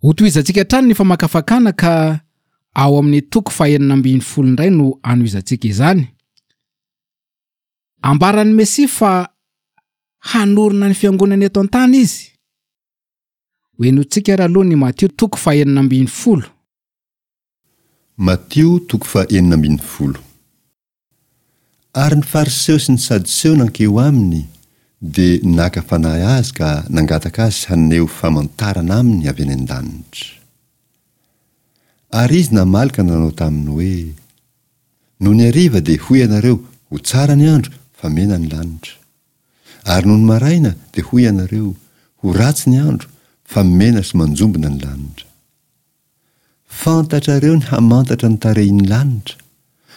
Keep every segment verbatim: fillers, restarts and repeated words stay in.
Hotohizantsika hatrany ny famakafakana ka ao amin'ny toko fahenina ambin'ny folo indray no anohizantsika izany. Ambaran'ny Mesia fa hanorina ny fiangonana eto an-tany izy. Hohenointsika ary aloha ny Matio toko fahenina ambin'ny folo. Matio toko fahenina ambin'ny folo. Ary ny Fariseo sy ny Sadoseo nankeo aminy, dia naka fanahy azy ka nangataka azy haneho famantarana aminy avy any an-danitra. Ary izy namaly ka nanao taminy hoe, Nony hariva dia hoy ianareo, Ho tsara ny andro, fa mena ny lanitra. Ary nony maraina dia hoy ianareo, Ho ratsy ny andro, fa mena sy manjombona ny lanitra. Fantatrareo ny hamantatra ny tarehin'ny lanitra,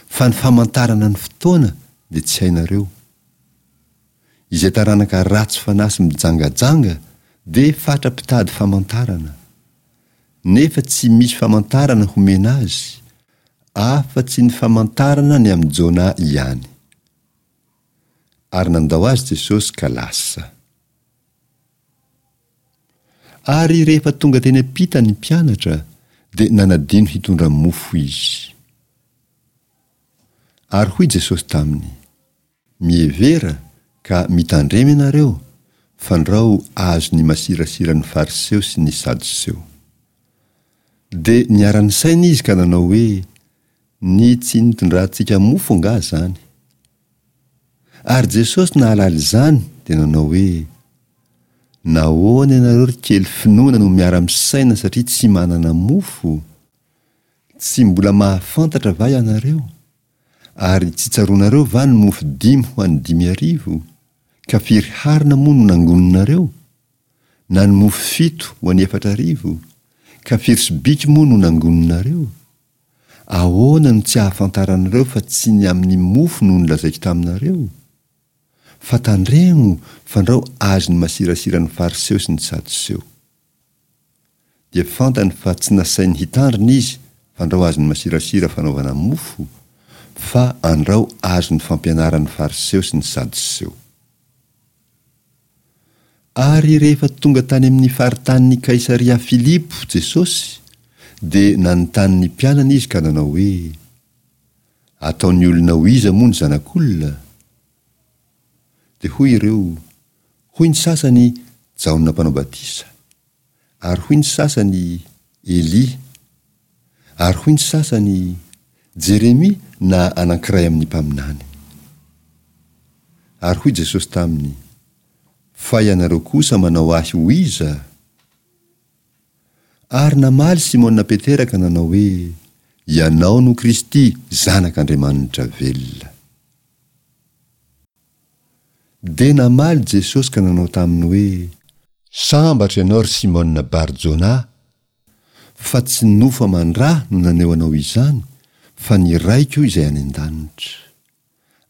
fa ny famantarana ny fotoana dia tsy hainareo. Izay taranaka ratsy fanahy sy mijangajanga dia fatra-pitady famantarana. Nefa tsy misy famantarana homena azy, afa-tsy ny famantarana ny amin'i Jona ihany. Ary nandao azy Jesosy ka lasa. Ary rehefa tonga teny am-pita ny mpianatra, dia nanadino hitondra mofo izy. Ary hoy Jesosy taminy, Mihevera ka mitandrema ianareo, fandrao azon'ny masirasiran'ny Fariseo sy ny Sadoseo. Dia niara-nisaina izy ka nanao hoe, Ny tsy nitondrantsika mofo angaha izany? Ary Jesosy nahalala izany dia nanao hoe, Nahoana ianareo ry kely finoana no miara-misaina satria tsy manana mofo? Tsy mbola mahafantatra va ianareo? Ary tsy tsaroanareo va ny mofo dimy ho an'ny dimy arivo? Ka firy harona moa no nangoninareo? Na ny mofo fito ho an'ny efatra arivo? Ka firy sobiky moa no nangoninareo? Ahoana no tsy ahafantaranareo fa tsy ny amin'ny mofo no nolazaiko taminareo? Fa tandremo fandrao azon'ny masirasiran'ny Fariseo sy ny Sadoseo. Dia fantany fa tsy nasainy hitandrina izy fandrao azon'ny masirasira fanaovana mofo, fa andrao azon'ny fampianaran'ny Fariseo sy ny Sadoseo. Ary rehefa tonga tany amin'ny faritanin'i Kaisaria Filipo Jesosy, dia nanontany ny mpianany izy ka nanao hoe, Ataon'ny olona ho iza moa ny Zanak'olona? Dia hoy ireo, Hoy ny sasany, Jaona Mpanao Batisa, ary hoy ny sasany, Elia, ary hoy ny sasany, Jeremia na anankiray amin'ny mpaminany. Ary hoy Jesosy taminy, Fa ianareo kosa manao ahy ho iza? Ary namaly Simona Petera ka nanao hoe, Ianao no Kristy, Zanak'Andriamanitra velona. Dia namaly Jesosy ka nanao taminy hoe, Sambatra ianao, ry Simona Bar-Jonah, fa tsy nofo aman-dra no naneho anao izany, fa ny Raiko izay any an-danitra.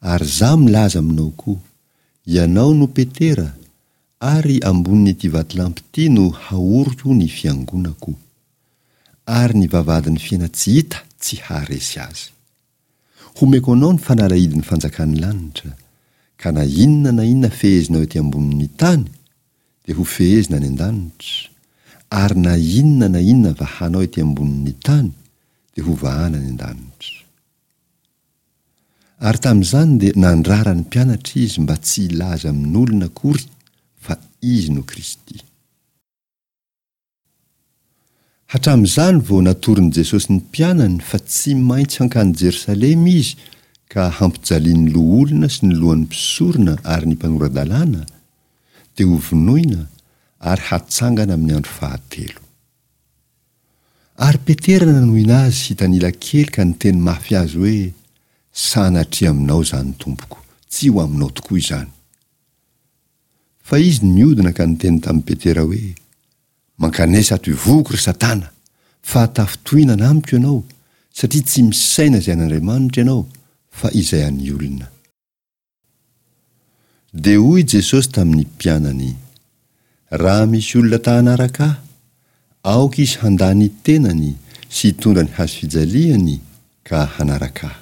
Ary Izaho milaza aminao koa, ianao no Petera, ary ambonin'ity vatolampy ity no haoriko ny fiangonako, ary ny vavahadin'ny fiaina-tsy hita tsy haharesy azy. Homeko anao ny fanalahidin'ny fanjakan'ny lanitra, ka na inona na inona fehezinao ety ambonin'ny tany, dia ho fehezina any an-danitra, ary na inona na inona vahanao ety ambonin'ny tany, dia ho vahana any an-danitra. Ary tamin'izany dia nandrara ny mpianatra izy mba tsy hilaza amin'olona akory fa izy no Kristy. Hatramin'izany vao natoron'i Jesosy ny mpianany fa tsy maintsy hankany Jerosalema izy ka hampijalian'ny loholona sy ny lohan'ny mpisorona ary ny mpanora-dalàna, dia hovonoina ary hatsangana amin'ny andro fahatelo. Ary Petera nanohina azy hitanila kely ka niteny mafy azy hoe, Sanatria aminao izany, Tompoko, tsy ho aminao tokoa izany. Fa izy niodina ka niteny tamin'i Petera hoe, Mankanesa ato ivohoko ry Satana, fa tafintohinana amiko ianao, satria tsy misaina izay an'Andriamanitra ianao, fa izay an'ny olona. Dia hoy Jesosy tamin'ny mpianany, Raha misy olona ta-hanaraka Ahy, aoka izy handà ny tenany sy hitondra ny hazofijaliany ka hanaraka Ahy.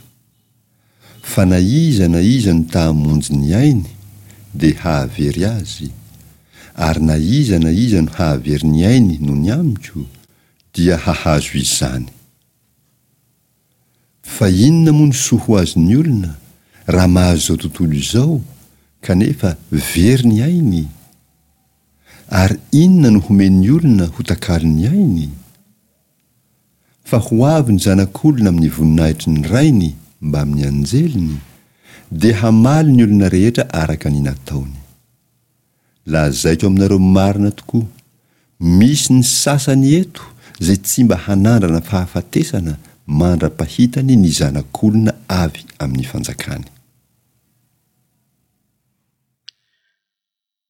Fa na iza na iza no ta-hamonjy ny ainy, dia hahavery azy, ary na iza na iza no hahavery ny ainy noho ny amiko, dia hahazo izany. Fa inona moa no soa ho azon'ny olona raha mahazo izao tontolo izao kanefa very ny ainy? Ary inona no homen'ny olona ho takalon'ny ainy? Fa ho avy ny Zanak'olona amin'ny voninahitry ny Rainy mbamin'ny anjeliny, dia hamaly ny olona rehetra araka ny nataony. Lazaiko aminareo marina tokoa, misy ny sasany eto izay tsy mba hanandrana fahafatesana mandra-pahitany ny Zanak'olona avy amin'ny fanjakany.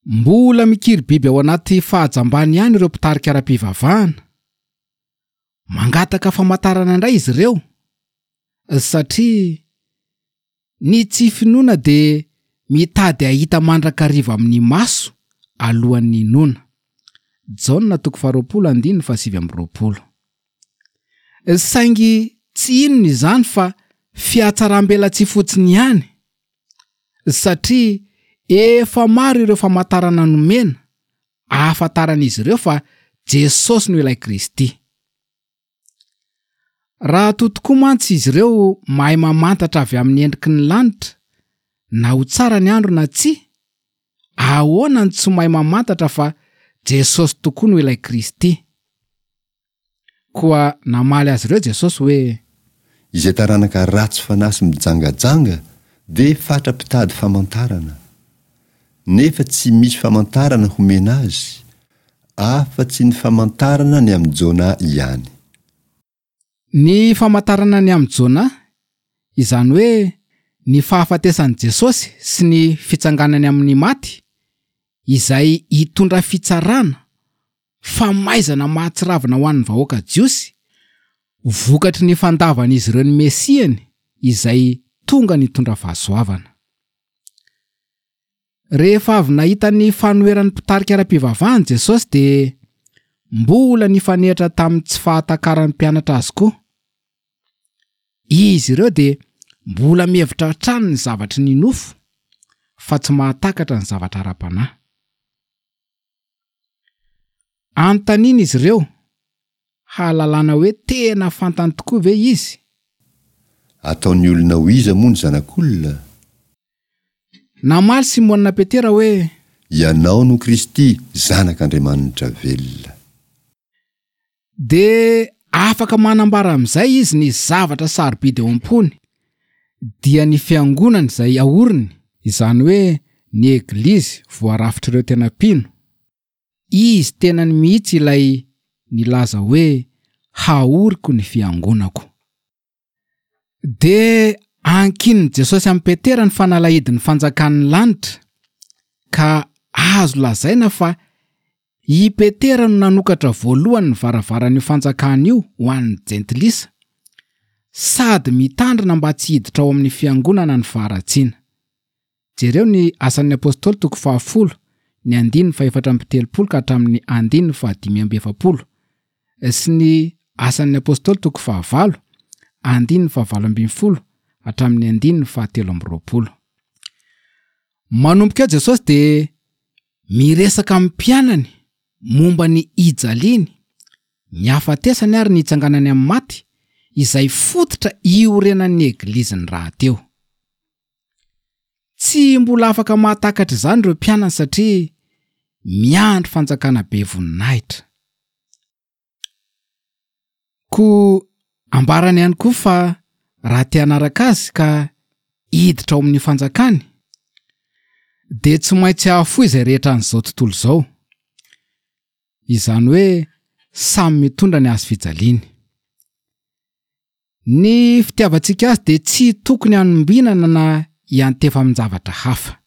Mbola mikiry biby ao anaty fahajambany ihany ireo mpitarika ara-pivavahana. Mangataka famantarana indray izy ireo, satria ny tsy finoana dia mitady hahita mandrakariva amin'ny maso alohan'ny hinoana. Jaona toko faharoapolo andininy fahasivy amby roapolo. Saingy tsy inona izany fa fihatsaram-belatsihy fotsiny ihany, satria efa maro ireo famantarana nomena ahafantaran'izy ireo fa Jesosy no ilay Kristy. Raha toa tokoa mantsy izy ireo mahay mamantatra avy amin'ny endriky ny lanitra na ho tsara ny andro na tsia, ahoana no tsy mahay mamantatra fa Jesosy tokoa no ilay Kristy? Koa namaly azy ireo Jesosy hoe: Izay taranaka ratsy fanahy sy mijangajanga dia fatra-pitady famantarana. Nefa tsy misy famantarana homena azy, afa-tsy ny famantarana ny amin'i Jona ihany. Ny famantarana ny amin'i Jona, izany hoe ny fahafatesan'i Jesosy sy ny fitsanganany amin'ny maty, izay hitondra fitsarana, famaizana mahatsiravina ho an'ny vahoaka jiosy, vokatry ny fandavan'izy ireo ny Mesiany izay tonga nitondra fahasoavana. Rehefa avy nahita ny fanoheran'ny mpitarika ara-pivavahana Jesosy dia mbola nifanehatra tamin'ny tsy fahatakaran'ny mpianatra azy koa. Izy ireo dia mbola mihevitra hatrany ny zavatry ny nofo fa tsy mahatakatra ny zavatra ara-panahy. Anontaniana izy ireo hahalalana hoe tena fantany tokoa ve izy? Ataon'ny olona ho iza moa ny Zanak'olona? Namaly Simona Petera hoe: Ianao no Kristy, Zanak'Andriamanitra velona. Dia afaka manambara amin'izay izy ny zavatra sarobidy eo am-pony, dia ny fiangonany izay aoriny, izany hoe ny eglizy voarafitr'ireo tena mpino. Izy tenany mihitsy ilay nilaza hoe haoriko ny fiangonako. Dia ankinin'i Jesosy amin'i Petera ny fanalahidin'ny fanjakan'ny lanitra, ka azo lazaina fa i Petera no nanokatra voalohany ny varavaran'io fanjakana io ho an'ny jentilisa, sady mitandrina mba tsy hiditra ao amin'ny fiangonana ny faharatsiana. Jereo ny Asan'ny Apôstôly toko fahafolo, ny andininy fahefatra amby telopolo ka hatramin'ny andininy fahadimy amby efapolo, sy ny Asan'ny Apôstôly toko fahavalo, andininy fahavalo ambin'ny folo hatramin'ny andininy fahatelo amby roapolo. Manomboka eo Jesosy dia miresaka amin'ny mpianany momba ny hijaliany, ny hafatesany ary ny hitsanganany amin'ny maty, izay fototra iorenan'ny egliziny rahateo. Tsy mbola afaka mahatakatra izany ireo mpianany satria miandry fanjakana be voninahitra. Koa ambarany ihany koa fa raha te hanaraka azy ka hiditra ao amin'ny fanjakany, dia tsy maintsy hahafoy izay rehetra an'izao tontolo izao. Izany hoe samy mitondra ny hazo fijaliany. Ny fitiavantsika azy dia tsy tokony hanombinana na hiantefa amin-javatra hafa.